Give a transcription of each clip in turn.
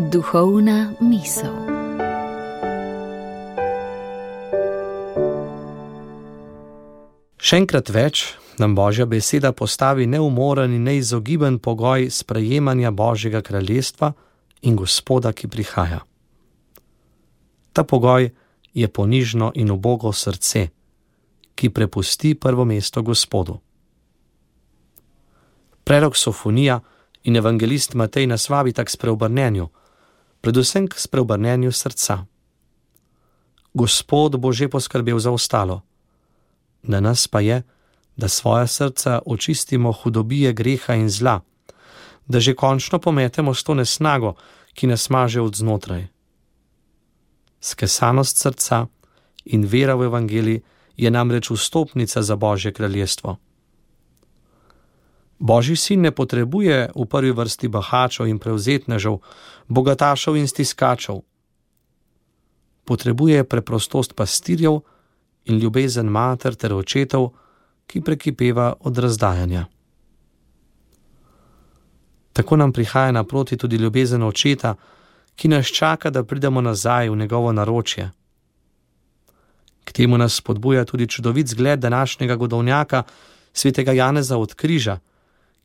Duhovna misel. Še enkrat več nam Božja beseda postavi neumoren in neizogiben pogoj sprejemanja Božjega kraljestva in Gospoda, ki prihaja. Ta pogoj je ponižno in ubogo srce, ki prepusti prvo mesto Gospodu. Prerok Sofonija in evangelist Matej nas vabita k spreobrnenju, predvsem k spreobrnenju srca. Gospod bo že poskrbel za ostalo. Na nas pa je, da svoja srca očistimo hudobije greha in zla, da že končno pometemo s to nesnago, ki nas maže od znotraj. Skesanost srca in vera v evangelij je namreč vstopnica za Božje kraljestvo. Božji sin ne potrebuje v prvi vrsti bahačev in prevzetnežev, bogatašev in stiskačev. Potrebuje preprostost pastirjev in ljubezen mater ter očetov, ki prekipeva od razdajanja. Tako nam prihaja naproti tudi ljubezen očeta, ki nas čaka, da pridemo nazaj v njegovo naročje. K temu nas spodbuja tudi čudovit zgled današnjega godovnjaka, svetega Janeza od Križa,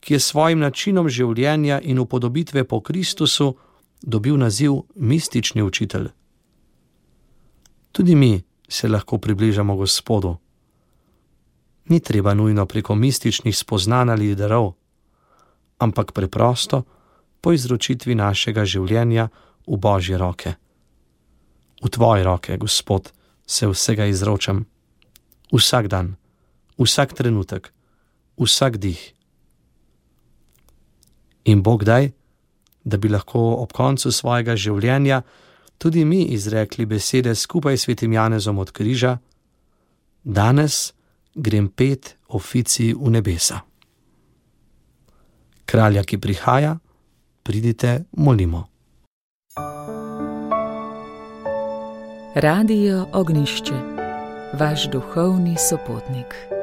ki je s svojim načinom življenja in upodobitve po Kristusu dobil naziv mistični učitelj. Tudi mi se lahko približamo Gospodu. Ni treba nujno preko mističnih spoznanj ali darov, ampak preprosto po izročitvi našega življenja v Božje roke. V tvoje roke, Gospod, se vsega izročam. Vsak dan, vsak trenutek, vsak dih. In Bog daj, da bi lahko ob koncu svojega življenja tudi mi izrekli besede skupaj s svetim Janezom od Križa: danes grem pet oficij v nebesa. Kralja, ki prihaja, pridite, molimo. Radio Ognjišče, vaš duhovni sopotnik.